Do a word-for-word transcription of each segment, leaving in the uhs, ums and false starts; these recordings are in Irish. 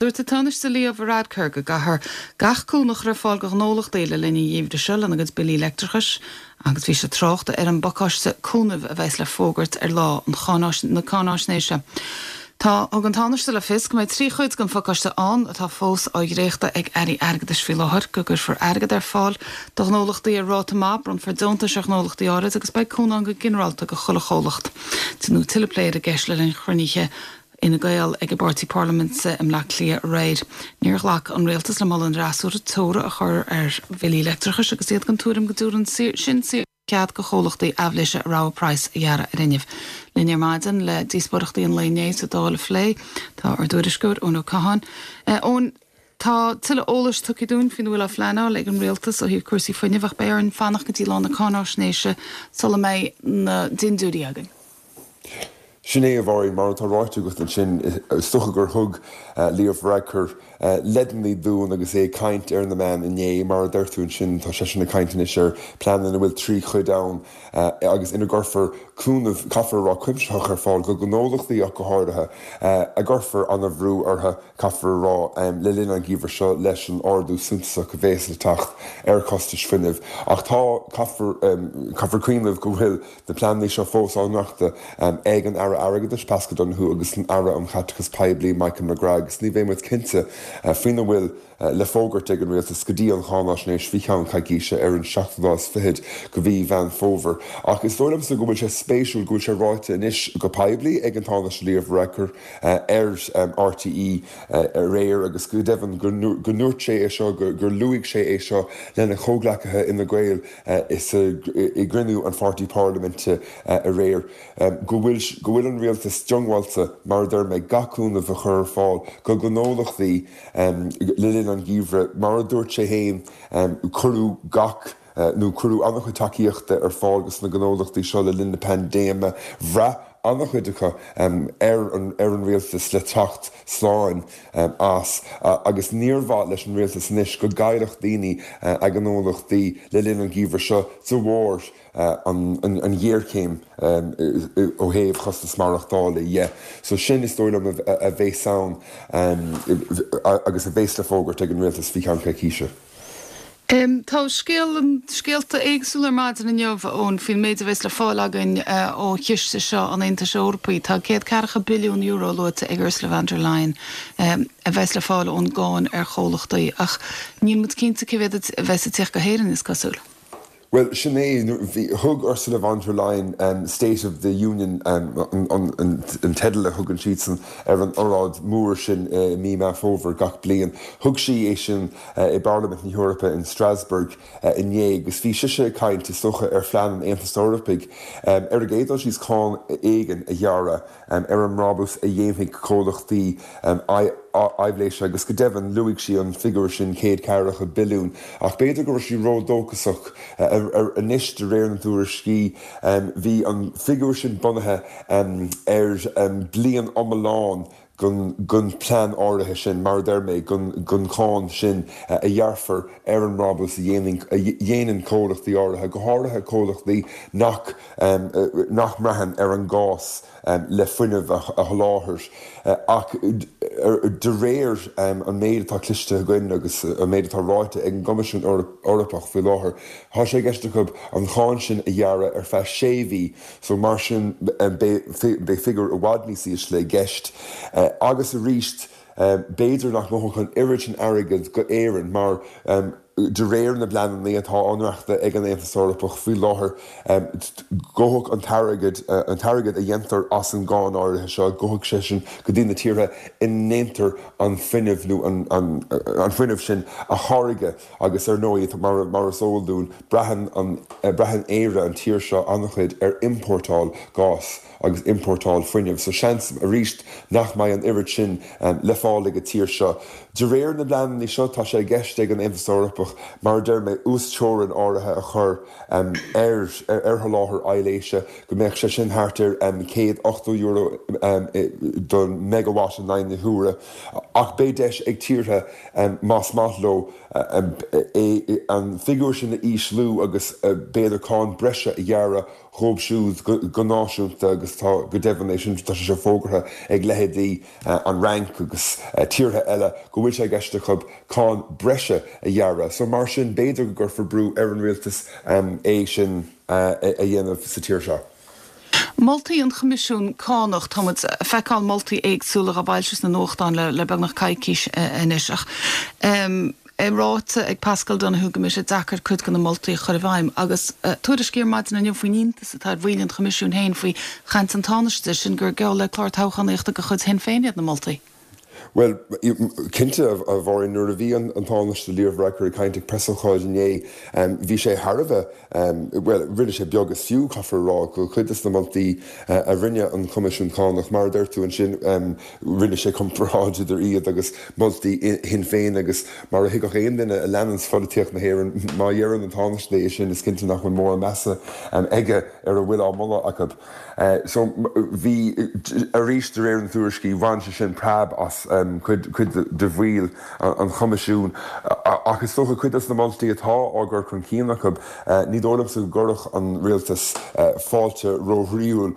Dúirt an Tánaiste Leo Varadkar go gcaithfear gach cúnamh a chur ar fáil do ghnólachtaí le linn an gheimhridh seo lena gcuid billí leictreachais, agus bhí sé ag trácht ar an bpacáiste cúnaimh a bheas le fógairt ar lá an na cáináisnéise. Tá thug an Tánaiste le fios go mbeidh trí chuid den phacáiste ann atá fós á dhréachtadh ag airí airgeadais faoi láthair, go gcuirfear airgead ar fáil do ghnólachtaí ar ráta maith, bronnfar deontais ar ghnólachtaí áirid agus beidh cúnamh go ginearálta do chuile chomhlacht. Déanadh tuilleadh plé ar an gceist le linn chruinnithe Fhine Gael ag an bpáirtí parlaiminte i mBleá Cliath aréir. Níor ghlac an rialtas le moladh an fhreasúra teora a chur ar bhillí leictreachais agus iad den tuairim go dtabharann sin cead do chomhlachtaí aibhléise rogha praghas a ghearradh ar fhuinneamh. Linn ar maidin le díospóireachtaí an lae inné sa Dáil a phlé tá ár dtuairisceoir Eoin Ó Catháin. Eoin, tá tuilleadh eolais tugtha dúinn faoina bhfuil á phleanáil ag an rialtas ó thaobh cúrsaí fuinnimh ach beidh orainn fanacht go dtí lá na cáináisnéise sula mbeidh na dindiúirí againn. Sin é a Mháirín, mar atá ráite agat ansin, is dócha gur thug Leo Varadkar leideanna dúinn agus é ag caint ar na meáin inné. Mar a deir tú ansin, tá seisean ag caint anois ar plean ina bhfuil trí chuid ann agus ina gcuirfear cúnamh, caithfear a rá, cuimsitheach ar fáil do ghnólachtaí ach go háirithe, a gcuirfear an-bhrú orthu, caithfear a rá, le linn an gheimhridh seo leis an ardú suntasach a bhéas le teacht ar chostais fuinnimh. Ach tá, caithfear, caithfear cuimhneamh go bhfuil na pleananna seo fós á ndréachtadh ag an Aire Airgeadais, Paschal Donohoe, agus an Aire um Chaiteachas Poiblí, Michael McGrath, agus ní bheidh muid cinnte faoina bhfuil le fógairt ag an Rialtas go dtí an cháinaisnéis faoi cheann coicíse ar an seachtú lá is fichead de mhí Mheán Fómhair. Ach is dóigh liomsa go bhfuil sé spéisiúil go bhfuil sé ráite anois go poiblí ag an Tánaiste Leo Varadkar ar R T E aréir agus go deimhin go ndúirt sé é seo, gur luaigh sé é seo lena chomhghleacaithe Fhine Gael i gcruinniú an pháirtí parlaiminte aréir, go bhfuil go bhfuil an rialtas diongbháilte, mar a deir mé, gach cúnamh a chur ar fáil do ghnólachtaí le linn an gheimhridh. Mar a dúirt sé féin, cuireadh gach nó cuireadh an-chuid tacaíochta ar fáil dos na gnólachtaí seo le linn na paindéime. Bhraith an-chuid acu ar an ar an rialtas le teacht slán as agus níor mhaith leis an rialtas anois go gcaillfeadh daoine a ngnólachtaí le linn an gheimhridh seo de bharr an ghéarchéim ó thaobh chostas maireachtála dhe. So sin is dóigh liom a bheas ann agus a bheas le fógairt ag an rialtas faoi cheann coicíse. Um, tá scéal scéalta éagsúla ar maidin inniu ón faoin méid a bheas le fáil againn uh, ó chiste seo an Aontais Eorpaigh. Tá céad ceathracha billiún euro luaite ag Ursula von der Leyen um, a bheas le fáil ón gcáin ar chomhlachtaí ach níl muid cinnte cé mhéad a bheas ag teacht go hÉirinn, is cosúil. Well, sin é, thug Ursula von der Leyen um, State of the Union um, an, an, an teideal a thugann siadsan ar an óráid mhór sin uh, mí Mheán Fómhair gach bliain. Thug sí é sin uh, i bParlaimint na hEorpa in Strasbourg uh, inné agus bhí sise ag caint is dócha ar phlean an Aontais Eorpaigh um, ar an gcéad dul síos cáin éigin a ghearradh um, ar an mbrabús a dhéanfaidh comhlachtaí um, aibhléise agus go deimhin luaigh sí an figiúr sin céad ceathracha billiún ach b'fhéidir go raibh sí ródhóchasach anois de réir na dtuairiscí. Bhí an figiúr sin bunaithe ar bliain iomlán den plean áirithe sin, mar a deir mé, den cháin sin a ghearrfar ar an mbrabús a dhéanann comhlachtaí áirithe, go háirithe comhlachtaí nach nach mbraitheann ar an gás le fuinneamh a sholáthar. Ach de réir an méid atá cloiste againn agus an méid atá ráite ag an gCoimisiún Eorpach faoi láthair, tá sé i gceist acu an cháin sin a ghearradh ar feadh sé mhí, so mar sin beidh figiúr i bhfad níos ísle i gceist. Agus arís, b'fhéidir nach ngabhfadh an oiread sin airgid go Éirinn mar de réir na bpleananna atá á ndréachtadh ag an Aontas Eorpach faoi láthair, gabhfadh an t-airgead an t-airgead a dhéantar as an gcáin áirithe seo, gabhfadh sé sin go dtí na tíortha ina ndéantar an fuinneamh nó an an fuinneamh sin a tháirgeadh agus ar ndóigh mar mar is eol dúinn braitheann an braitheann Éire, an tír seo, an-chuid ar iompórtáil gás agus iompórtáil fuinnimh, so seans arís nach mbeidh an oiread sin le fáil ag an tír seo. De réir na bpleananna seo tá sé i gceist ag an Aontas Eorpach, mar a deir mé, uasteorainn áirithe a chur ar ar sholáthar aibhléise, go mbeadh sé sin thart ar céad ochtó euro don megawatt in aghaidh na huaire, ach beidh deis ag tíortha, más maith leo, é an figiúr sin a ísliú agus b'fhéidir cáin breise a ghearradh dhóibh siúd go náisiúnta agus tá go deimhin é sin tá sé fógartha ag leithéidí an Fhrainc agus tíortha eile go bhfuil sé i gceist acu cáin breise a ghearradh. So mar sin b'fhéidir go gcuirfear brú ar an rialtas é sin a dhéanamh sa tír seo. Moltaí an Choimisiúin Cánach, tá muid ag feiceáil moltaí éagsúla á bhfoilsiú sna nuachtáin le le beagnach coicís anois ach é ráite ag Paschal Donohoe go mbeidh sé deacair cuid de na moltaí a chur i bhfeidhm agus tuairiscí ar maidin inniu faoin iontas atá ar bhaill an Choimisiúin féin faoi chaint an Tánaiste, sin gur geall le clár toghchánaíochta de chuid Shinn Féin iad na moltaí. Bhuel, cinnte, a Mháirín, nuair a bhí an Tánaiste Leo Varadkar ag caint ag preasócáid inné, bhí sé thar a bheith, bhuel, rinne sé beag is fiú, caithfear a rá, go cuid de na moltaí a rinne an Coimisiún Cánach, mar a deir tú ansin, rinne sé comparáid idir iad agus moltaí Shinn Féin agus mar a thuigfeadh aon duine a leananns pholaitíocht na hÉireann, má dheireann an Tánaiste é sin, is cinnte nach bhfuil mórán measa aige ar a bhfuil á moladh acu. So, bhí, arís de réir na tuairiscí, bhain sé sin preab as cuid de bhaill an Choimisiúin ach is dócha cuid de na moltaí atá á gcur chun cinn acu, ní dóigh liomsa go gcuirfeadh an rialtas fáilte róchroíúil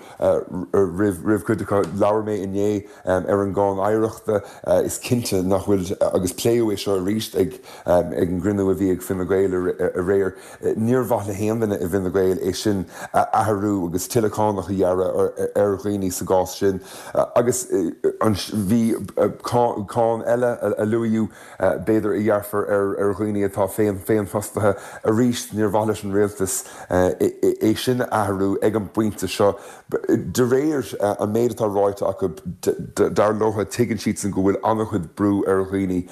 roimh chuid acu. Labhair mé inné ar an gcáin oidhreachta, is cinnte nach bhfuil, agus pléadh é seo arís ag an gcruinniú a bhí ag Fine Gael aréir, níor mhaith le haon duine i bhFine Gael é sin a athrú agus tuilleadh cánach a ghearradh ar dhaoine sa gcás sin. Agus bhí cáin eile a luadh, b'fhéidir, a ghearrfar ar dhaoine atá féinfhostaithe. Arís, níor mhaith leis an rialtas é sin a athrú ag an bpointe seo. De réir an méid atá ráite acu, dar leo, tuigeann siadsan go bhfuil an-chuid brú ar dhaoine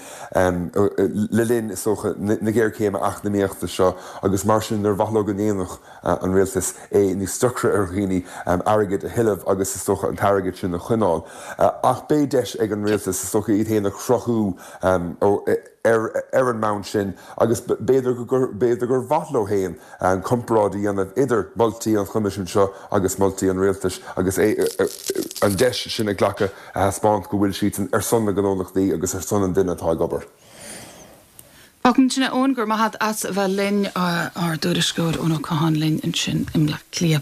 le linn, is dócha, na géarchéime eacnamaíochta seo agus mar sin níor mhaith leo go ndéanfadh an rialtas é níos deacra ar dhaoine airgead a thuilleamh agus is dócha an t-airgead sin a choinneáil. Ach beidh deis ag an rialtas, is dócha, iad féin a chruthú ar an mbonn sin agus b'fhéidir b'fhéidir gur mhaith leo féin comparáid a dhéanamh idir moltaí an Choimisiúin seo agus moltaí an rialtais agus an deis sin a ghlacadh a thaispeáint go bhfuil siadsan ar son na ngnólachtaí agus ar son an duine atá ag obair. Fágfaimid ansin é Eoin, go raibh maith agat as a bheith linn, ár dtuairisceoir Eoin Ó Catháin linn ansin i mBleá Cliath.